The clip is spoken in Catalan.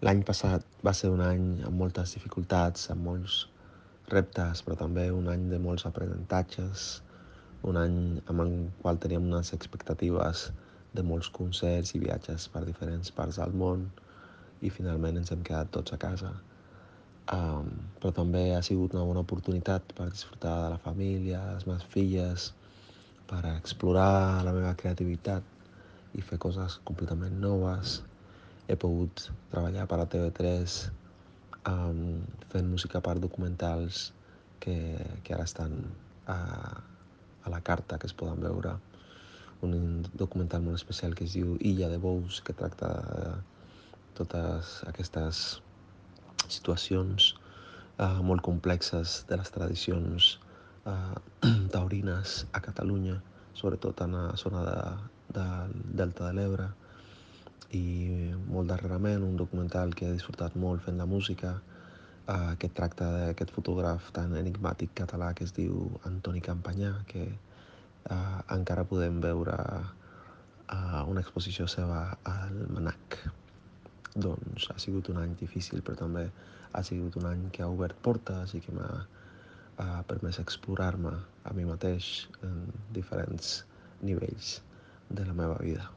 L'any passat va ser un any amb moltes dificultats, amb molts reptes, però també un any de molts aprenentatges, un any amb el qual teníem unes expectatives de molts concerts i viatges per diferents parts del món i finalment ens hem quedat tots a casa. Però també ha sigut una bona oportunitat per disfrutar de la família, de les meves filles, per explorar la meva creativitat i fer coses completament noves. He pogut treballar per a TV3 fent música per documentals que ara estan a la carta, que es poden veure. Un documental molt especial que es diu Illa de Bous, que tracta de totes aquestes situacions molt complexes de les tradicions taurines a Catalunya, sobretot en la zona del Delta de l'Ebre. I molt darrerament un documental que he disfrutat molt fent la música, que tracta d'aquest fotògraf tan enigmàtic català que es diu Antoni Campanyà, que encara podem veure una exposició seva al MNAC. Doncs ha sigut un any difícil, però també ha sigut un any que ha obert portes i que m'ha permès explorar-me a mi mateix en diferents nivells de la meva vida.